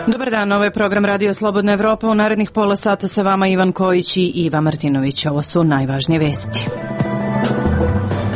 Dobar dan, ovo je program Radio Slobodna Evropa. U narednih pola sata sa vama Ivan Kojić i Iva Martinović. Ovo su najvažnije vesti.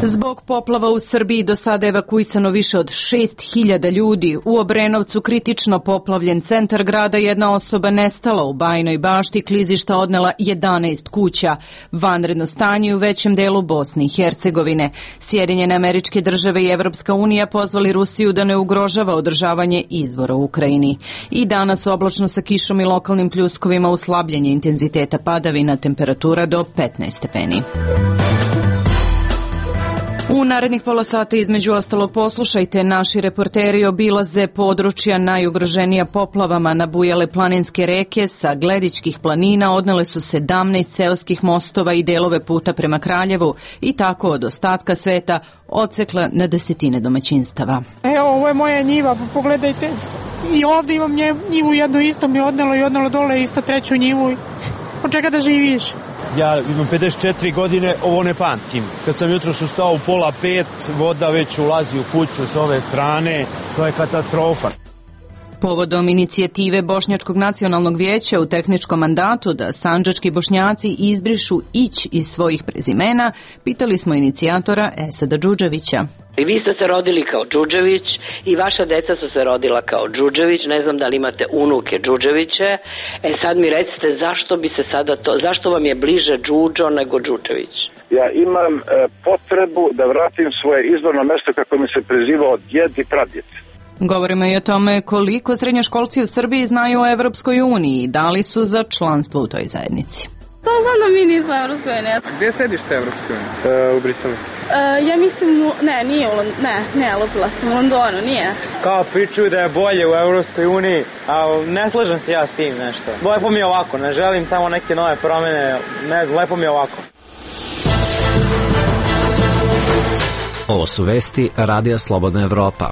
Zbog poplava u Srbiji do sada evakuisano više od 6.000 ljudi. U Obrenovcu kritično poplavljen centar grada, jedna osoba nestala. U Bajinoj Bašti klizišta odnela 11 kuća. Vanredno stanje u većem delu Bosne i Hercegovine. Sjedinjene Američke Države i Evropska unija pozvali Rusiju da ne ugrožava održavanje izvora u Ukrajini. I danas oblačno sa kišom i lokalnim pljuskovima, uslabljenje intenziteta padavina, temperatura do 15 stepeni. U narednih pola sata između ostalog poslušajte, naši reporteri obilaze područja najugroženija poplavama. Nabujale planinske reke sa Gledičkih planina odnele su 17 seoskih mostova i delove puta prema Kraljevu i tako od ostatka sveta odsekla na desetine domaćinstava. Evo, ovo je moja njiva, pa pogledajte. I ovdje imam njivu jednu isto mi odnelo i odnelo dole isto treću njivu. Od čega da živiš? Ja imam 54 godine, ovo ne pamtim. Kad sam jutros ustao u 4:30, voda već ulazi u kuću s ove strane, to je katastrofa. Povodom inicijative Bošnjačkog nacionalnog vijeća u tehničkom mandatu da sandžački Bošnjaci izbrišu Ić iz svojih prezimena, pitali smo inicijatora Esada Džudževića. I vi ste se rodili kao Džudžević i vaša deca su se rodila kao Džudžević, ne znam da li imate unuke Džudževiće. Sad mi recite zašto bi se sada to, zašto vam je bliže Džudžo nego Džudžević? Ja imam potrebu da vratim svoje izvorno mesto kako mi se prezivao djed i pradjed. Govorimo i o tome koliko srednjoškolci u Srbiji znaju o Evropskoj uniji i da li su za članstvo u toj zajednici. To znam da mi nismo Evropskoj uniji. Gdje sedište Evropskoj uniji? U Briselu. Ja mislim, nije lupila sam u Londonu, nije. Kao pričuju da je bolje u Evropskoj uniji, a ne slažem se ja s tim nešto. Lepo mi je ovako, ne želim tamo neke nove promjene, lepo mi je ovako. Ovo su vesti Radija Slobodna Evropa.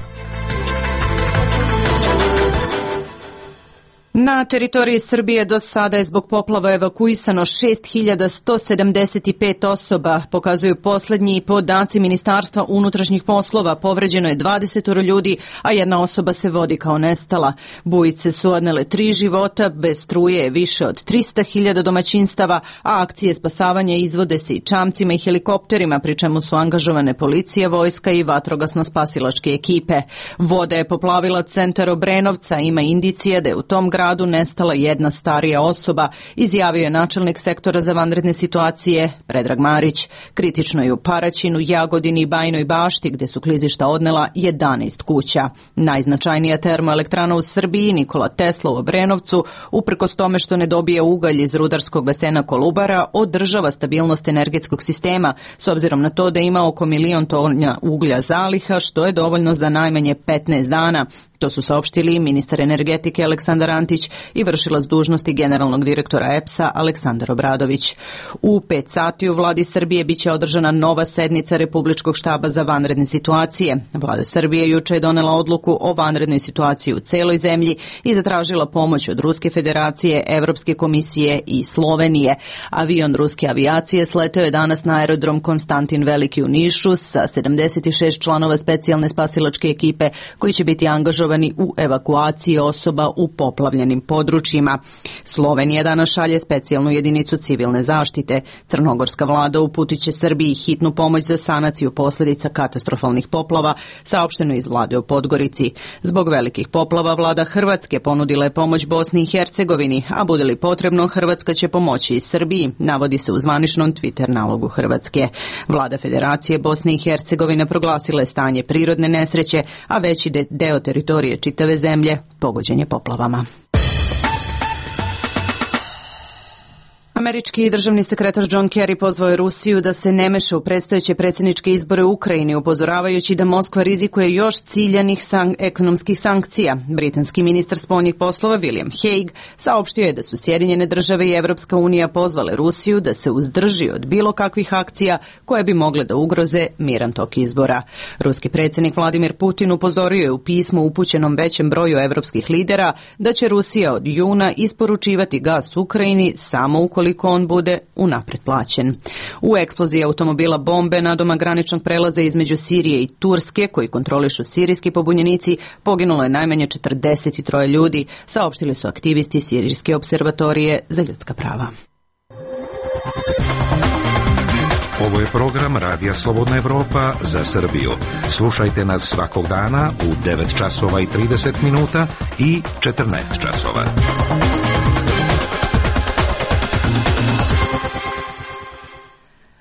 Na teritoriji Srbije do sada je zbog poplava evakuisano 6.175 osoba, pokazuju posljednji podaci Ministarstva unutrašnjih poslova. Povređeno je 20 ljudi, a jedna osoba se vodi kao nestala. Bujice su odnele 3 života, bez struje je više od 300.000 domaćinstava, a akcije spasavanja izvode se i čamcima i helikopterima, pri čemu su angažovane policija, vojska i vatrogasno-spasilačke ekipe. Voda je poplavila centar Obrenovca, ima indicije da je u tom gradu nestala jedna starija osoba, izjavio je načelnik sektora za vanredne situacije Predrag Marić. Kritično je u Paraćinu, Jagodini i Bajinoj Bašti, gde su klizišta odnela 11 kuća. Najznačajnija termoelektrana u Srbiji, Nikola Tesla u Obrenovcu, uprkos tome što ne dobije ugalj iz rudarskog basena Kolubara, održava stabilnost energetskog sistema, s obzirom na to da ima oko 1.000.000 tona uglja zaliha, što je dovoljno za najmanje 15 dana. To su saopštili ministar energetike Aleksandar Antić i vršilac dužnosti generalnog direktora EPS-a Aleksandar Obradović. U 5 sati u vladi Srbije biće održana nova sednica Republičkog štaba za vanredne situacije. Vlada Srbije juče je donela odluku o vanrednoj situaciji u celoj zemlji i zatražila pomoć od Ruske federacije, Evropske komisije i Slovenije. Avion ruske avijacije sleteo je danas na aerodrom Konstantin Veliki u Nišu sa 76 članova specijalne spasilačke ekipe koji će biti angažovani u evakuaciji osoba u poplavljenim područjima. Slovenija danas šalje specijalnu jedinicu civilne zaštite. Crnogorska vlada uputit će Srbiji hitnu pomoć za sanaciju posljedica katastrofalnih poplava, saopšteno iz vlade u Podgorici. Zbog velikih poplava vlada Hrvatske ponudila je pomoć Bosni i Hercegovini, a bude li potrebno Hrvatska će pomoći i Srbiji, navodi se u zvaničnom Twitter nalogu Hrvatske. Vlada Federacije Bosne i Hercegovine proglasila je stanje prirodne nesreće, a veći deo teritorije čitave zemlje pogođen je poplavama. Američki državni sekretar John Kerry pozvao je Rusiju da se ne meša u predstojeće predsjedničke izbore u Ukrajini, upozoravajući da Moskva rizikuje još ciljanih ekonomskih sankcija. Britanski ministar spoljnih poslova William Hague saopštio je da su Sjedinjene države i Evropska unija pozvale Rusiju da se uzdrži od bilo kakvih akcija koje bi mogle da ugroze miran tok izbora. Ruski predsjednik Vladimir Putin upozorio je u pismu upućenom većem broju evropskih lidera da će Rusija od juna isporučivati gas Ukrajini samo ukoliko on bude unapred plaćen. U eksploziji automobila bombe nadoma graničnog prelaza između Sirije i Turske, koji kontrolišu sirijski pobunjenici, poginulo je najmanje 43 ljudi, saopštili su aktivisti Sirijske observatorije za ljudska prava. Ovo je program Radija Slobodna Evropa za Srbiju. Slušajte nas svakog dana u 9 časova i 30 minuta i 14 časova.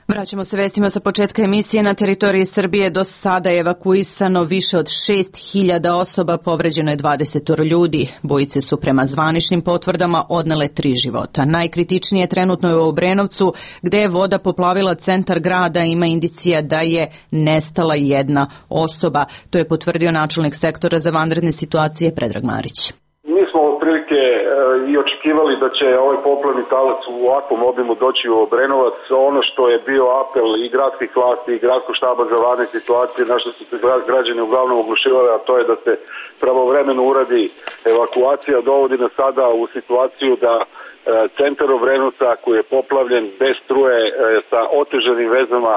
Vraćamo se vestima sa početka emisije. Na teritoriji Srbije do sada je evakuisano više od 6.000 osoba, povređeno je 20 ljudi. Bojice su prema zvaničnim potvrdama odnele 3 života. Najkritičnije trenutno je u Obrenovcu, gde je voda poplavila centar grada. Ima indicija da je nestala jedna osoba. To je potvrdio načelnik sektora za vanredne situacije Predrag Marić. Mi smo otprilike i očekivali da će ovaj poplavni talac u ovakvom obimu doći u Obrenovac. Ono što je bio apel i gradskih vlasti i gradskog štaba za vanredne situacije, na što su se građani uglavnom oglušivali, a to je da se pravovremeno uradi evakuacija, dovodi nas sada u situaciju da centar Obrenovca koji je poplavljen bez struje sa otežanim vezama,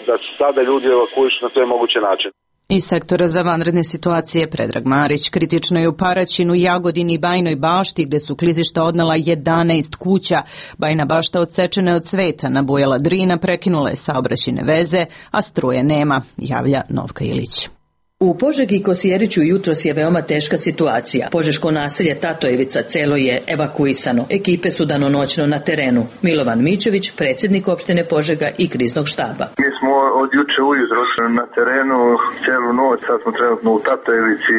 da se sada ljudi evakuišu na sve moguće načine. Iz sektora za vanredne situacije Predrag Marić. Kritično je u Paraćinu, Jagodini i Bajnoj Bašti, gde su klizišta odnela 11 kuća. Bajna Bašta odsečena je od sveta, nabujala Drina, prekinula je saobraćajne veze, a struje nema, javlja Novka Ilić. U Požegi i Kosjeriću jutros je veoma teška situacija. Požeško naselje Tatojevica celo je evakuisano. Ekipe su danonoćno na terenu. Milovan Mićević, predsjednik opštine Požega i kriznog štaba. Mi smo od juče ujutro na terenu celu noć, sad smo trenutno u Tatojevici,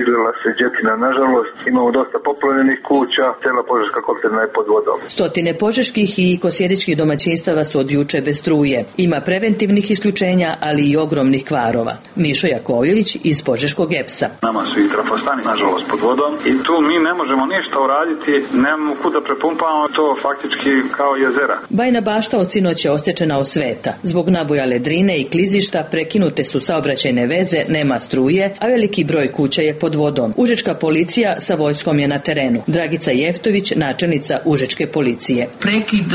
izlila se džetina nažalost, imamo dosta poplavljenih kuća, cela Požeška kopterna je pod vodom. Stotine požeških i kosjeričkih domaćinstava su od juče bez struje. Ima preventivnih isključenja, ali i ogromnih kvarova. Mišo Jakovljević iz Požeškog EPS-a. Nama su i trafostani, nažalost, pod vodom i tu mi ne možemo ništa uraditi, nemamo kuda prepumpavamo, to faktički kao jezera. Bajna Bašta od sinoć je osječena od sveta. Zbog nabujale Drine i klizišta prekinute su saobraćajne veze, nema struje, a veliki broj kuća je pod vodom. Užička policija sa vojskom je na terenu. Dragica Jeftović, načelnica Užičke policije. Prekid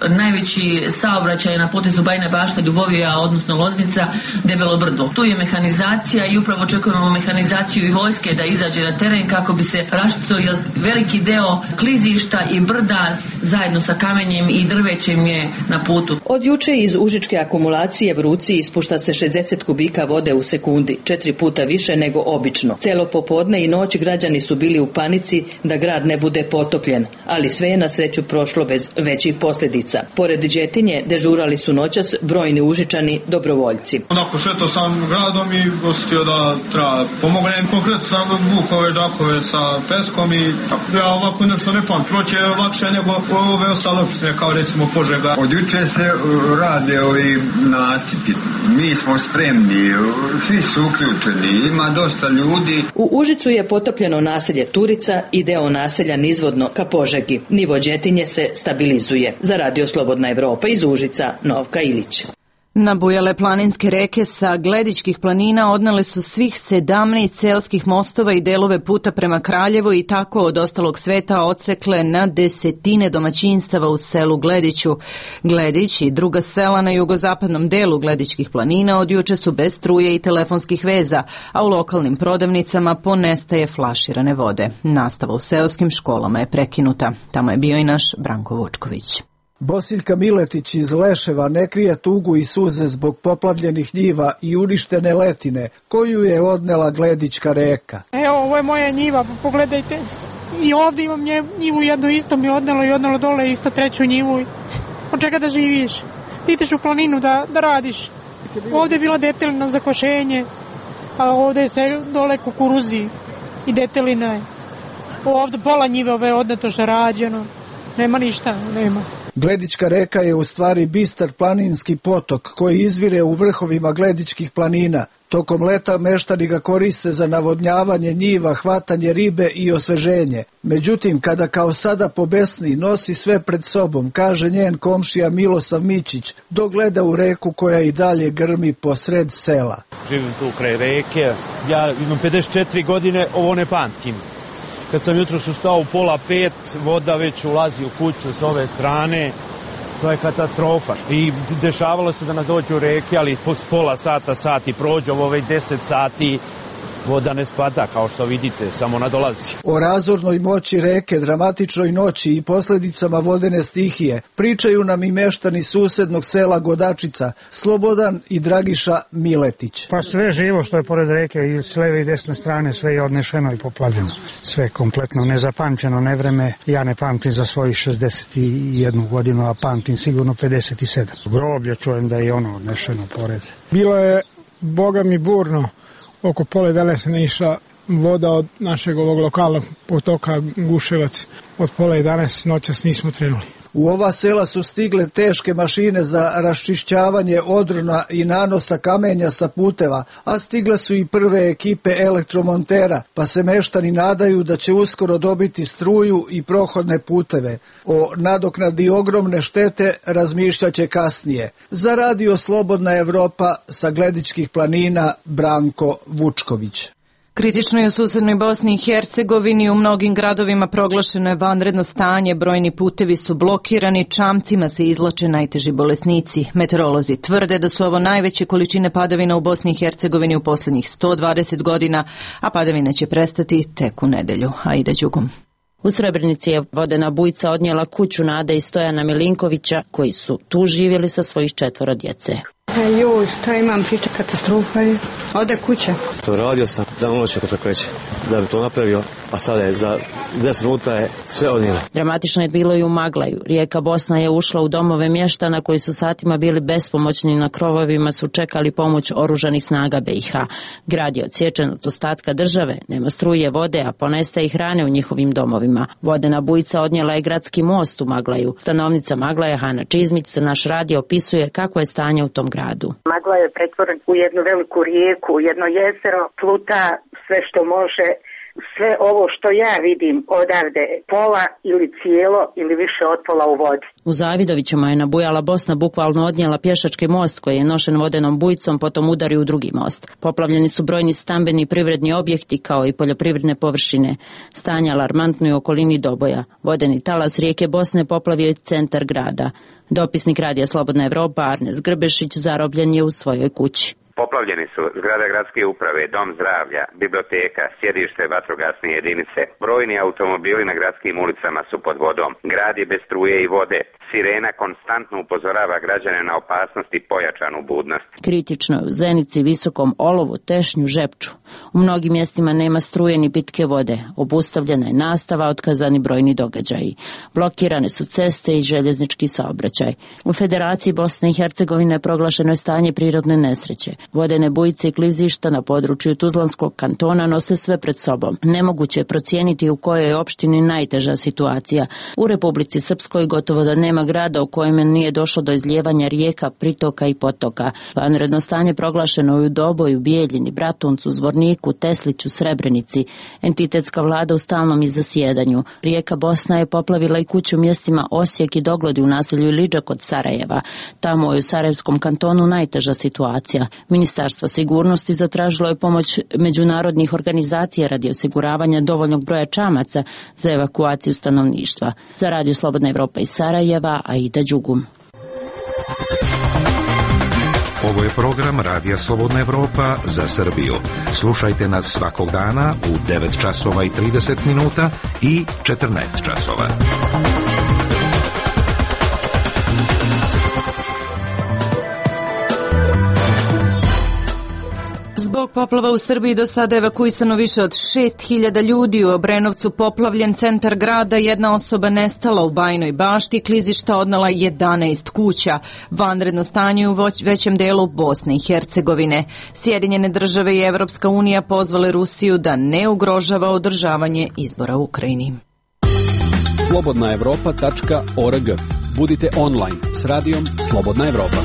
najveći saobraćaj na potezu Bajna Bašta, Ljubovija, odnosno Loznica, Debelo Brdo. Tu je mehanizacija i upravo očekujemo mehanizaciju i vojske da izađe na teren kako bi se raštitio veliki deo klizišta i brda zajedno sa kamenjem i drvećem je na putu. Od juče iz užičke akumulacije Vruci ispušta se 60 kubika vode u sekundi, 4 puta više nego obično. Celo popodne i noć građani su bili u panici da grad ne bude potopljen, ali sve je na sreću prošlo bez većih posljedica. Pored Đetinje dežurali su noćas brojni Užičani dobrovoljci. Onako šetao sam gradom i osjetio da treba pomognem. Konkretno sam vukove džakove sa peskom i tako. Ja ovako nešto ne pamtim. Proće je lakše nego ove ostale opštine kao recimo Požega. Od juče se rade ovi nasipi. Mi smo spremni, svi su uključeni, ima dosta ljudi. U Užicu je potopljeno naselje Turica i deo naselja nizvodno ka Požegi. Nivo Đetinje se stabilizuje. Za Radio Slobodna Evropa iz Užica, Novka Ilić. Nabujale planinske reke sa Gledičkih planina odnele su svih 17 seoskih mostova i delove puta prema Kraljevu i tako od ostalog sveta odsekle na desetine domaćinstava u selu Glediću. Gledić i druga sela na jugozapadnom delu Gledičkih planina od juče su bez struje i telefonskih veza, a u lokalnim prodavnicama ponestaje flaširane vode. Nastava u seoskim školama je prekinuta. Tamo je bio i naš Branko Vučković. Bosiljka Miletić iz Leševa ne krije tugu i suze zbog poplavljenih njiva i uništene letine koju je odnela Gledička reka. Evo, ovo je moja njiva, pogledajte. I ovdje imam njivu jednu isto mi odnelo i odnelo dole isto treću njivu. Od čega da živiš? Ti ideš u planinu da radiš. Ovdje je bila detelina za košenje, a ovdje je se dole kukuruzi i detelina je. Ovdje pola njive ove odneto što je rađeno. Nema ništa, nema. Gledička reka je u stvari bistar planinski potok koji izvire u vrhovima Gledičkih planina. Tokom leta meštani ga koriste za navodnjavanje njiva, hvatanje ribe i osveženje. Međutim, kada kao sada pobesni nosi sve pred sobom, kaže njen komšija Milosav Mićić, dok gleda u reku koja i dalje grmi posred sela. Živim tu kraj reke, ja imam 54 godine, ovo ne pamtim. Kad sam jutros ustao u 4:30, voda već ulazi u kuću s ove strane. To je katastrofa. I dešavalo se da nas dođu u reke, ali po pola sata, sati prođu, ovo već 10 sati, voda ne spada, kao što vidite, samo nadolazi. O razornoj moći reke, dramatičnoj noći i posljedicama vodene stihije pričaju nam i meštani susednog sela Godačica, Slobodan i Dragiša Miletić. Pa sve živo što je pored reke i s leve i desne strane, sve je odnešeno i poplavljeno. Sve kompletno nezapamćeno nevreme. Ja ne pamtim za svojih 61 godinu, a pamtim sigurno 57. Groblje čujem da je ono odnešeno pored. Bilo je, boga mi, burno. Oko 9:30 se ne išla voda od našeg ovog lokalnog potoka Guševac. Od 10:30 noćas nismo trenuli. U ova sela su stigle teške mašine za raščišćavanje odrona i nanosa kamenja sa puteva, a stigle su i prve ekipe elektromontera, pa se meštani nadaju da će uskoro dobiti struju i prohodne puteve. O nadoknadi ogromne štete razmišljaće kasnije. Za Radio Slobodna Evropa sa Gledičkih planina Branko Vučković. Kritično je u susednoj Bosni i Hercegovini, u mnogim gradovima proglašeno je vanredno stanje, brojni putevi su blokirani, čamcima se izlače najteži bolesnici. Meteorolozi tvrde da su ovo najveće količine padavina u Bosni i Hercegovini u posljednjih 120 godina, a padavine će prestati tek u nedelju. Aida Đugum. U Srebrenici je vodena bujica odnijela kuću Nade i Stojana Milinkovića, koji su tu živjeli sa svojih 4 djece. Joj, šta imam, priča, katastrofa je. Ode kuća. To radio sam dan unoće kako kreće, da bi to napravio, a sada je za 10 minuta je sve odnijelo. Dramatično je bilo i u Maglaju. Rijeka Bosna je ušla u domove mještana koji su satima bili bespomoćni, na krovovima su čekali pomoć oružanih snaga BiH. Grad je odsječen od ostatka države, nema struje, vode, a ponestaje i hrane u njihovim domovima. Vodena bujica odnijela je gradski most u Maglaju. Stanovnica Maglaja Hana Čizmić za naš radio opisuje kako je stanje u tom gradu. Magla je pretvoren u jednu veliku rijeku, jedno jezero, pluta sve što može. Sve ovo što ja vidim odavde, pola ili cijelo ili više od pola u vodi. U Zavidovićima je nabujala Bosna bukvalno odnijela pješački most koji je nošen vodenom bujicom, potom udari u drugi most. Poplavljeni su brojni stambeni i privredni objekti kao i poljoprivredne površine. Stanje alarmantno je u okolini Doboja. Vodeni talas rijeke Bosne poplavio je centar grada. Dopisnik Radija Slobodna Evropa Arnes Grbešić zarobljen je u svojoj kući. Poplavljeni su zgrada gradske uprave, dom zdravlja, biblioteka, sjedište vatrogasne jedinice. Brojni automobili na gradskim ulicama su pod vodom. Grad je bez struje i vode. Sirena konstantno upozorava građane na opasnost i pojačanu budnost. Kritično je u Zenici, Visokom, Olovu, Tešnju, Žepču. U mnogim mjestima nema struje ni pitke vode. Obustavljena je nastava, otkazani brojni događaji. Blokirane su ceste i željeznički saobraćaj. U Federaciji Bosne i Hercegovine proglašeno je stanje prirodne nesreće. Vodene bujice i klizišta na području Tuzlanskog kantona nose sve pred sobom. Nemoguće je procijeniti u kojoj je opštini najteža situacija. U Republici Srpskoj gotovo da nema grada u kojem nije došlo do izlijevanja rijeka, pritoka i potoka. Vanredno stanje proglašeno je u Doboju, Bijeljini, Bratuncu, Zvorniku, Tesliću, Srebrenici. Entitetska vlada u stalnom je zasjedanju. Rijeka Bosna je poplavila i kuću mjestima Osijek i Doglodi u naselju Iliđa kod Sarajeva. Tamo je u Sarajevskom kantonu najteža situacija. Ministarstvo sigurnosti zatražilo je pomoć međunarodnih organizacija radi osiguravanja dovoljnog broja čamaca za evakuaciju stanovništva. Za Radio Slobodna Evropa iz Sarajeva, Aida Đugum. Ovo je program Radija Slobodna Evropa za Srbiju. Slušajte nas svakog dana u 9 časova i 30 minuta i 14 časova. Zbog poplava u Srbiji do sada evakuisano više od 6.000 ljudi. U Obrenovcu poplavljen centar grada, jedna osoba nestala u Bajinoj Bašti, klizišta odnela 11 kuća. Vanredno stanje u većem delu Bosne i Hercegovine. Sjedinjene države i Evropska unija pozvale Rusiju da ne ugrožava održavanje izbora u Ukrajini. Slobodnaevropa.org. Budite online s radijom Slobodna Evropa.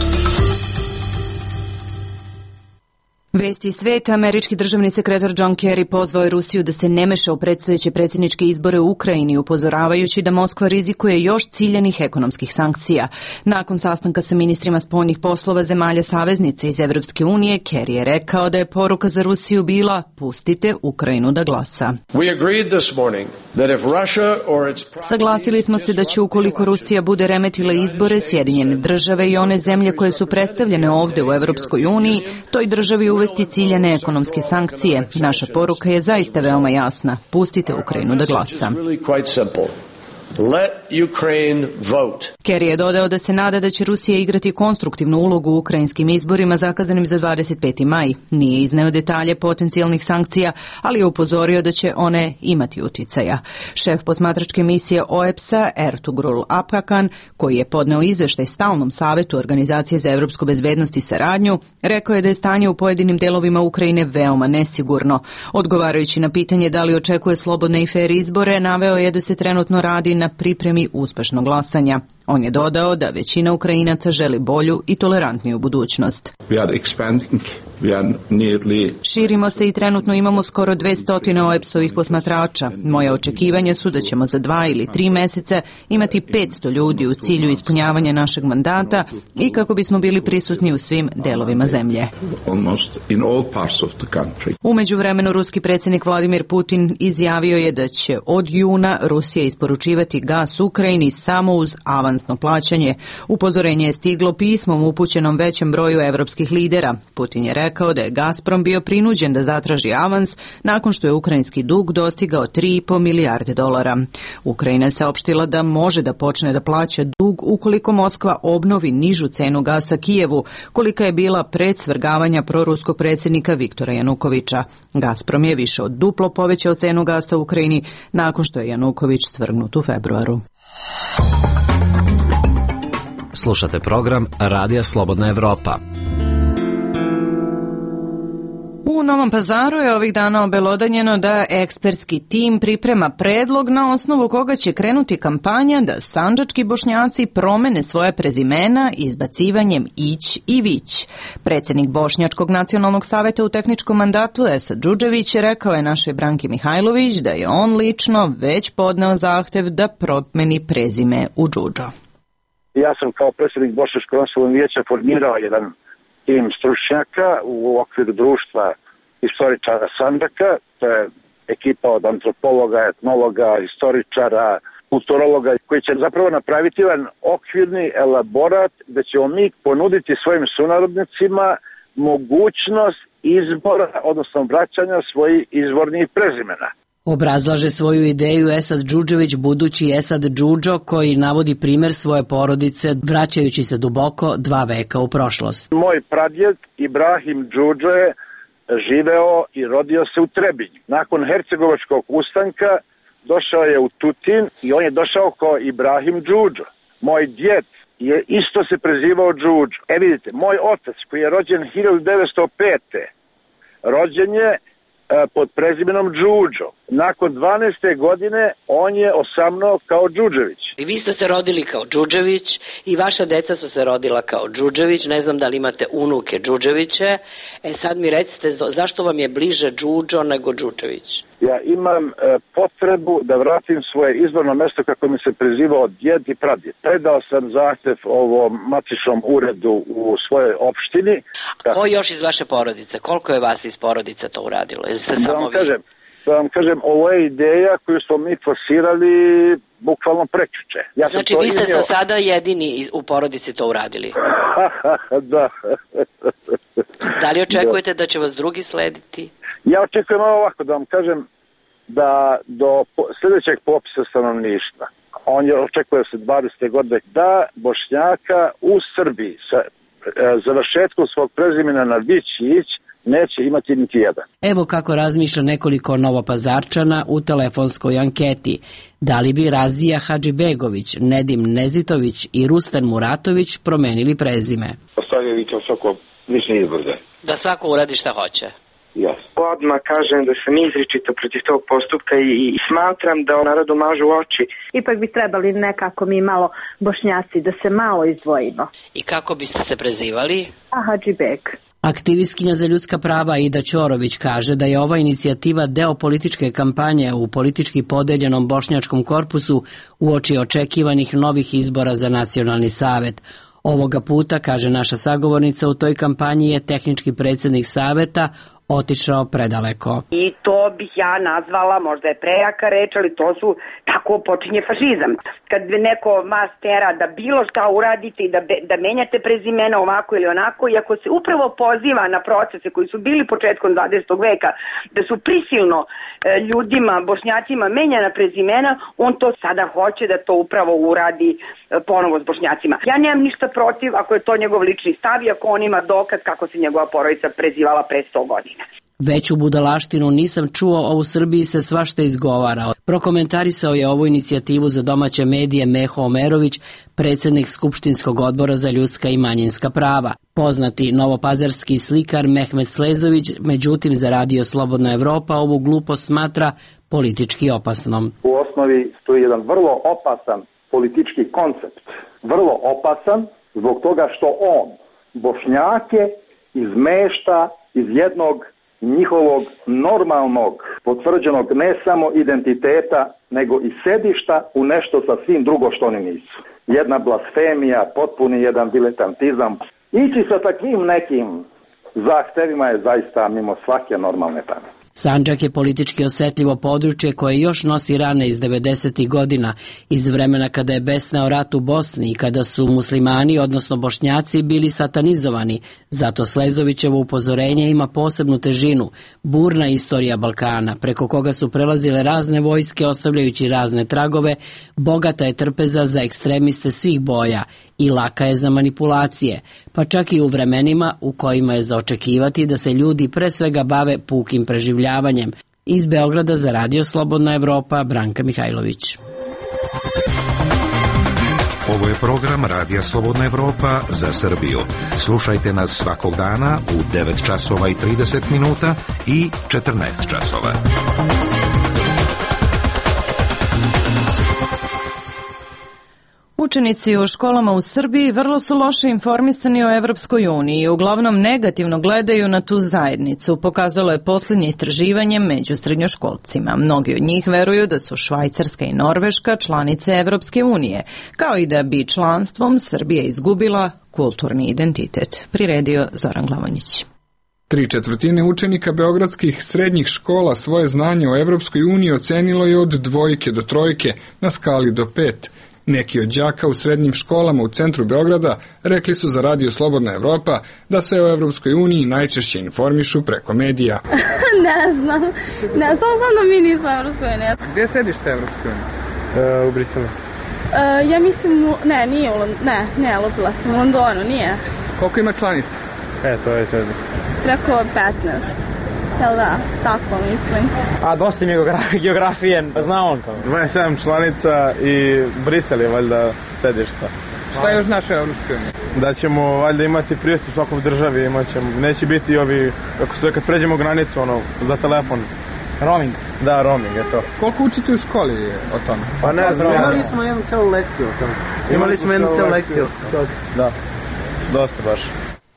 Vesti sveta. Američki državni sekretar John Kerry pozvao je Rusiju da se ne meša u predstojeće predsjedničke izbore u Ukrajini, upozoravajući da Moskva rizikuje još ciljanih ekonomskih sankcija. Nakon sastanka sa ministrima spoljnih poslova zemalja saveznice iz Evropske unije, Kerry je rekao da je poruka za Rusiju bila: pustite Ukrajinu da glasa. Saglasili smo se da će, ukoliko Rusija bude remetila izbore, Sjedinjene države i one zemlje koje su predstavljene ovde u Evropskoj uniji, toj državi uvesti ciljane ekonomske sankcije. Naša poruka je zaista veoma jasna. Pustite Ukrajinu da glasa. Let Ukraine vote. Kerry je dodao da se nada da će Rusija igrati konstruktivnu ulogu u ukrajinskim izborima zakazanim za 25. maj. Nije izneo detalje potencijalnih sankcija, ali je upozorio da će one imati uticaja. Šef posmatračke misije OEBS-a Ertugrul Apakan, koji je podneo izveštaj Stalnom savetu Organizacije za evropsku bezbednost i saradnju, rekao je da je stanje u pojedinim delovima Ukrajine veoma nesigurno. Odgovarajući na pitanje da li očekuje slobodne i fer izbore, naveo je da se trenutno radi na pripremi uspešnog glasanja. On je dodao da većina Ukrajinaca želi bolju i tolerantniju budućnost. Širimo se i trenutno imamo skoro 200 OEBS-ovih posmatrača. Moje očekivanja su da ćemo za 2 ili 3 meseca imati 500 ljudi u cilju ispunjavanja našeg mandata i kako bismo bili prisutni u svim delovima zemlje. U međuvremenu ruski predsjednik Vladimir Putin izjavio je da će od juna Rusija isporučivati gas Ukrajini samo uz avansno plaćanje. Upozorenje je stiglo pismom upućenom većem broju evropskih lidera. Putin je rekao da je Gazprom bio prinuđen da zatraži avans nakon što je ukrajinski dug dostigao $3,5 milijarde. Ukrajina je saopštila da može da počne da plaća dug ukoliko Moskva obnovi nižu cenu gasa Kijevu, kolika je bila pred svrgavanja proruskog predsjednika Viktora Janukovića. Gazprom je više od duplo povećao cenu gasa u Ukrajini nakon što je Januković svrgnut u februaru. Slušate program Radija Slobodna Evropa. U Novom Pazaru je ovih dana obelodanjeno da ekspertski tim priprema predlog na osnovu koga će krenuti kampanja da sandžački Bošnjaci promene svoje prezimena izbacivanjem Ić i Vić. Predsjednik Bošnjačkog nacionalnog saveta u tehničkom mandatu Esad Džudžević rekao je našoj Branki Mihajlović da je on lično već podneo zahtev da promeni prezime u Džudžo. Ja sam kao predsjednik Bošnjačkog nacionalnog vijeća formirao jedan tim stručnjaka u okviru društva historičara Sandžaka. To je ekipa od antropologa, etnologa, historičara, kulturologa koji će zapravo napraviti jedan okvirni elaborat gdje ćemo mi ponuditi svojim sunarodnicima mogućnost izbora, odnosno vraćanja svojih izvornih prezimena. Obrazlaže svoju ideju Esad Džudžević, budući Esad Džudžo, koji navodi primjer svoje porodice vraćajući se duboko 2 veka u prošlost. Moj pradjed Ibrahim Džudžo je živeo i rodio se u Trebinju. Nakon Hercegovačkog ustanka došao je u Tutin i on je došao kao Ibrahim Džudžo. Moj djed je isto se prezivao Džudžo. Vidite, moj otac koji je rođen 1905. rođen je pod prezimenom Džudžo. Nakon 12. godine on je osamnuo kao Džudžević. I vi ste se rodili kao Džudžević i vaša deca su se rodila kao Džudžević. Ne znam da li imate unuke Džudževiće. Sad mi recite zašto vam je bliže Džudžo nego Džudžević? Ja imam potrebu da vratim svoje izvorno mjesto kako mi se prezivao djed i pradjed. Predao sam zahtjev ovom matičnom uredu u svojoj opštini. Ko još iz vaše porodice? Koliko je vas iz porodice to uradilo? Da vam kažem, ovo je ideja koju smo mi forsirali bukvalno prekjuče. Znači vi ste sada jedini u porodici to uradili? Da. Da li očekujete da će vas drugi slediti? Ja očekujem ovako, da vam kažem, da do sljedećeg popisa stanovništva, on je očekuje se 20. godine, da Bošnjaka u Srbiji sa završetkom svog prezimena na Vić i Ić neće imati niti jedan. Evo kako razmišlja nekoliko Novopazarčana u telefonskoj anketi. Da li bi Razija Hadžibegović, Nedim Nezitović i Rustan Muratović promenili prezime? Ostavljaju to svako lični izbor. Da svako uradi šta hoće. Yes. Odmah kažem da sam izričito protiv tog postupka i smatram da narodu mažu oči. Ipak bi trebali nekako mi malo Bošnjaci da se malo izdvojimo. I kako biste se prezivali? Hadžibeg. Aktivistkinja za ljudska prava Ida Ćorović kaže da je ova inicijativa deo političke kampanje u politički podeljenom bošnjačkom korpusu uoči očekivanih novih izbora za nacionalni savet. Ovoga puta, kaže naša sagovornica, u toj kampanji je tehnički predsjednik saveta otišao predaleko. I to bih ja nazvala, možda je prejaka reč, ali to su, tako počinje fašizam. Kad neko vas tera da bilo šta uradite i da menjate prezimena ovako ili onako, i ako se upravo poziva na procese koji su bili početkom 20. veka, da su prisilno ljudima, Bošnjacima menjana prezimena, on to sada hoće da to upravo uradi ponovo s Bošnjacima. Ja nemam ništa protiv ako je to njegov lični stav i ako on ima dokaz kako se njegova porodica prezivala pre 100 godina. Veću budalaštinu nisam čuo, a u Srbiji se svašta izgovarao. Prokomentarisao je ovu inicijativu za domaće medije Meho Omerović, predsjednik Skupštinskog odbora za ljudska i manjinska prava. Poznati novopazarski slikar Mehmet Slezović, međutim za Radio Slobodna Evropa ovu glupost smatra politički opasnom. U osnovi stoji jedan vrlo opasan politički koncept. Vrlo opasan zbog toga što on Bošnjake izmešta iz jednog njihovog normalnog, potvrđenog ne samo identiteta, nego i sedišta u nešto sasvim drugo što oni nisu. Jedna blasfemija, potpuni jedan diletantizam. Ići sa takvim nekim zahtevima je zaista mimo svake normalne pameti. Sandžak je politički osjetljivo područje koje još nosi rane iz 90. godina, iz vremena kada je besneo rat u Bosni i kada su muslimani, odnosno Bošnjaci, bili satanizovani. Zato Slezovićevo upozorenje ima posebnu težinu, burna istorija Balkana, preko koga su prelazile razne vojske ostavljajući razne tragove, bogata je trpeza za ekstremiste svih boja i laka je za manipulacije, pa čak i u vremenima u kojima je za očekivati da se ljudi pre svega bave pukim preživljavanjem. Iz Beograda za Radio Slobodna Evropa, Branka Mihajlović. Ovo je program Radija Slobodna Evropa za Srbiju. Slušajte nas svakog dana u 9 časova i 30 minuta i 14 časova. Učenici u školama u Srbiji vrlo su loše informisani o Evropskoj uniji i uglavnom negativno gledaju na tu zajednicu, pokazalo je posljednje istraživanje među srednjoškolcima. Mnogi od njih veruju da su Švajcarska i Norveška članice Evropske unije, kao i da bi članstvom Srbija izgubila kulturni identitet. Priredio Zoran Glavonjić. 3/4 učenika beogradskih srednjih škola svoje znanje o Evropskoj uniji ocenilo je od 2 do 3 na skali do 5. Neki od đaka u srednjim školama u centru Beograda rekli su za Radio Slobodna Evropa da se o Evropskoj uniji najčešće informišu preko medija. Ne znam da mi nismo Evropskoj uniji. Gdje je sedište Evropske unije? U Briselu. Ja mislim, nije, lupila sam u Londonu, nije. Koliko ima članica? To je sezon. Preko 15. Jel da, tako mislim. A dosta mi je geografije, zna on to. 27 članica i Brisel je valjda sedišta. Šta je još naše Evropske unije? Da ćemo valjda imati pristup svakoj državi, neće biti ovi, kako se kad pređemo granicu, za telefon. Roaming? Da, roaming je to. Koliko učite u školi o tome? Pa ne znam. Imali smo jednu celu lekciju o tome. Da, dosta baš.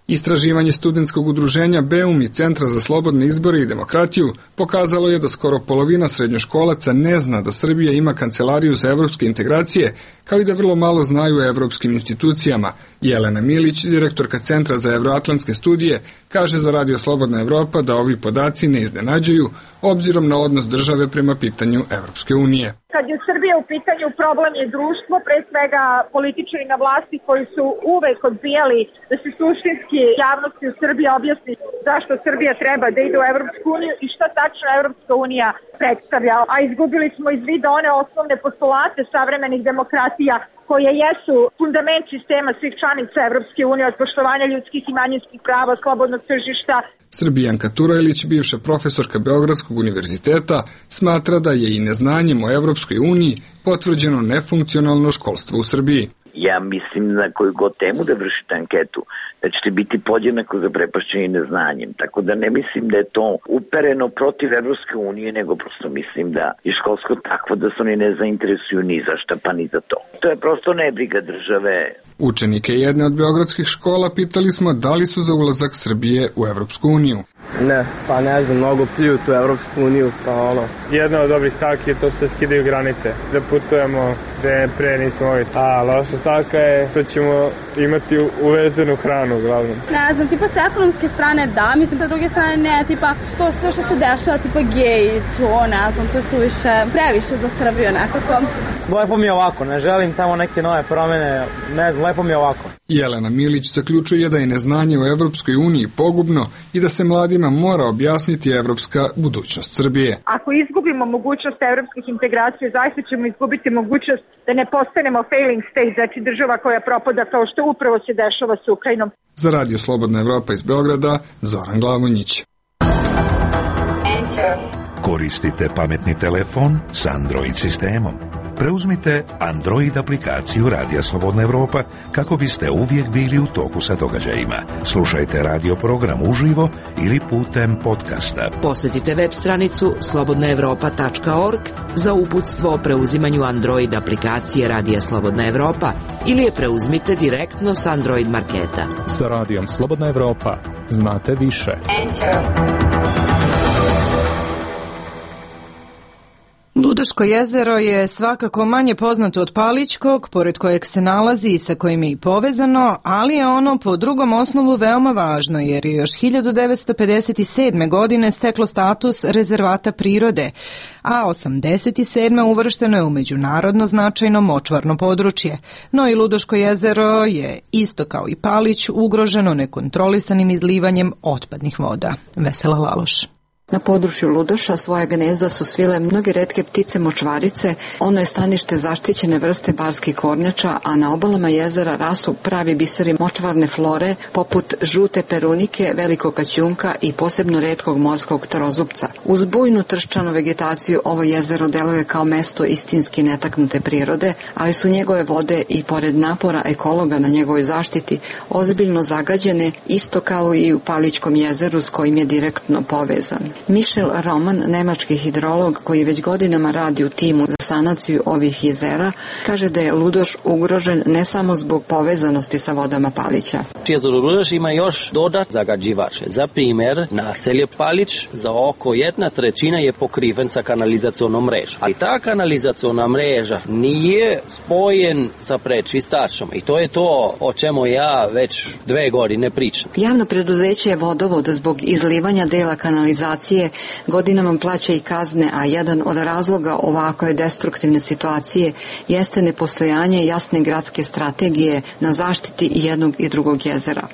Istraživanje studentskog udruženja BEUM i Centra za slobodne izbore i demokratiju pokazalo je da skoro polovina srednjoškolaca ne zna da Srbija ima kancelariju za evropske integracije, kao i da vrlo malo znaju o evropskim institucijama. Jelena Milić, direktorka Centra za evroatlantske studije, kaže za Radio Slobodna Evropa da ovi podaci ne iznenađuju, obzirom na odnos države prema pitanju Evropske unije. Kad je Srbija u pitanju, problem je društvo, pre svega političari na vlasti koji su uvek odbijali da se suštinski javnosti u Srbiji objasni zašto Srbija treba da ide u Evropsku uniju i šta tačno Evropska unija predstavlja. A izgubili smo iz vida one osnovne postulate savremenih demokratija koje jesu fundament sistema svih članica Evropske unije, od poštovanja ljudskih i manjinskih prava, slobodnog tržišta. Srbijanka Turajlić, bivša profesorka Beogradskog univerziteta, smatra da je i neznanjem o Evropskoj uniji potvrđeno nefunkcionalno školstvo u Srbiji. Ja mislim na koju god temu da vršite anketu, da ćete biti podjednako zaprepašćeni neznanjem. Tako da ne mislim da je to upereno protiv Evropske unije, nego prosto mislim da je školsko takvo da se oni ne zainteresuju ni za šta, pa ni za to. To je prosto nebriga države. Učenike jedne od beogradskih škola pitali smo da li su za ulazak Srbije u Evropsku uniju. Ne, pa ne znam, mnogo pljuju tu Evropsku uniju, pa ono. Jedna od dobrih stavki je to što se skidaju granice, da putujemo gde pre nismo mogli. A loša stavka je to ćemo imati uvezenu hranu, uglavnom. Ne znam, tipa sa ekonomske strane da, mislim da druge strane ne, tipa to sve što se dešava, tipa gej, to ne znam, to je suviše, previše za Srbiju nekako. Lepo mi je ovako, ne želim tamo neke nove promene, ne znam, lepo mi je ovako. Jelena Milić zaključuje da je neznanje u Evropskoj uniji pogubno i da se mladima mora objasniti evropska budućnost Srbije. Ako izgubimo mogućnost evropskih integracija, zaista ćemo izgubiti mogućnost da ne postanemo failing state, znači država koja propada kao što upravo se dešava s Ukrajinom. Za Radio Slobodna Evropa iz Beograda, Zoran Glavonjić. Koristite pametni telefon s Android sistemom. Preuzmite Android aplikaciju Radija Slobodna Evropa kako biste uvijek bili u toku sa događajima. Slušajte radio program uživo ili putem podcasta. Posjetite web stranicu slobodnaevropa.org za uputstvo o preuzimanju Android aplikacije Radija Slobodna Evropa ili je preuzmite direktno s Android marketa. Sa Radijom Slobodna Evropa znate više. Ludoško jezero je svakako manje poznato od Palićkog, pored kojeg se nalazi i sa kojim je i povezano, ali je ono po drugom osnovu veoma važno, jer je još 1957. godine steklo status rezervata prirode, a 87. uvršteno je u međunarodno značajno močvarno područje. No i Ludoško jezero je, isto kao i Palić, ugroženo nekontrolisanim izlivanjem otpadnih voda. Vesela Laloš. Na području Ludoša svoja gnezda su svile mnoge retke ptice močvarice, ono je stanište zaštićene vrste barskih kornjača, a na obalama jezera rastu pravi biseri močvarne flore poput žute perunike, velikog kaćunka i posebno retkog morskog trozupca. Uz bujnu trščanu vegetaciju ovo jezero deluje kao mesto istinski netaknute prirode, ali su njegove vode i pored napora ekologa na njegovoj zaštiti ozbiljno zagađene, isto kao i u Palićkom jezeru s kojim je direktno povezan. Michel Roman, nemački hidrolog koji već godinama radi u timu za sanaciju ovih jezera, kaže da je Ludoš ugrožen ne samo zbog povezanosti sa vodama Palića. Jezero Ludoš ima još dodat zagađivače. Za primjer, naselje Palić za oko 1/3 je pokriven sa kanalizacionom mrežom. Ali ta kanalizaciona mreža nije spojen sa prečistačom i to je to o čemu ja već 2 godine pričam. Javno preduzeće je Vodovod zbog izlivanja dela kanalizacije godinama plaća i kazne, a jedan od razloga ovakve destruktivne situacije jeste nepostojanje jasne gradske strategije na zaštiti i jednog i drugog jezera.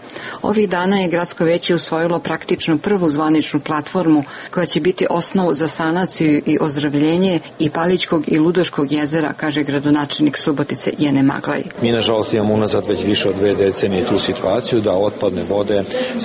Ovih dana je gradsko veće usvojilo praktično prvu zvaničnu platformu koja će biti osnov za sanaciju i ozdravljenje i Palićkog i Ludoškog jezera, kaže gradonačelnik Subotice Jene Maglaj. Mi nažalost imamo unazad već više od 2 decenije tu situaciju da otpadne vode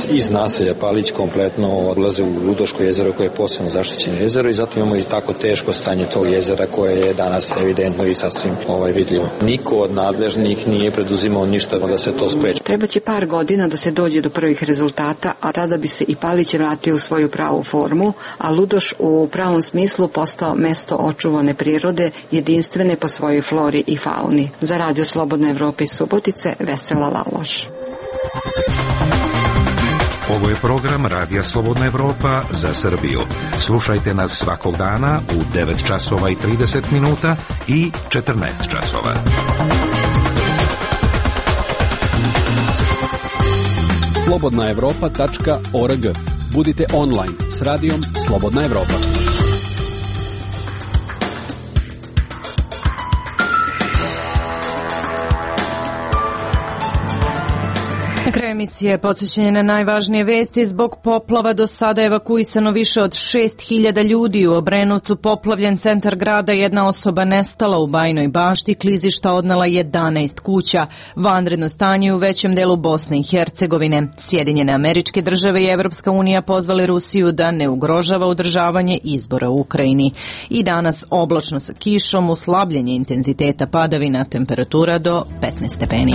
iz naselja Palić kompletno odlaze u Ludoško jezero koje je posebno zaštićeno jezero i zato imamo i tako teško stanje tog jezera koje je danas evidentno i sasvim vidljivo. Niko od nadležnih nije preduzimao ništa da se to spreči. Treba će par godina da se dođe do prvih rezultata, a tada bi se i Palić vratio u svoju pravu formu, a Ludoš u pravom smislu postao mesto očuvane prirode, jedinstvene po svojoj flori i fauni. Za Radio Slobodna Evropa iz Subotice, Vesela Laloš. Ovo je program Radija Slobodna Evropa za Srbiju. Slušajte nas svakog dana u 9 časova i 30 minuta i 14 časova. slobodnaevropa.org. Budite online s radijom Slobodna Evropa. Na kraju emisije podsjećanje na najvažnije vesti. Zbog poplava do sada evakuisano više od 6.000 ljudi. U Obrenovcu poplavljen centar grada, jedna osoba nestala. U Bajnoj Bašti klizišta odnela 11 kuća. Vanredno stanje u većem delu Bosne i Hercegovine. Sjedinjene Američke Države i Evropska unija pozvali Rusiju da ne ugrožava održavanje izbora u Ukrajini. I danas oblačno sa kišom, uslabljenje intenziteta padavina, temperatura do 15 stepeni.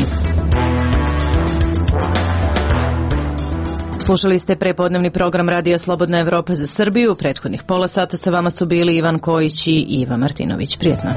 Slušali ste prepodnevni program Radija Slobodna Evropa za Srbiju. Prethodnih pola sata sa vama su bili Ivan Kojić i Iva Martinović. Prijetno.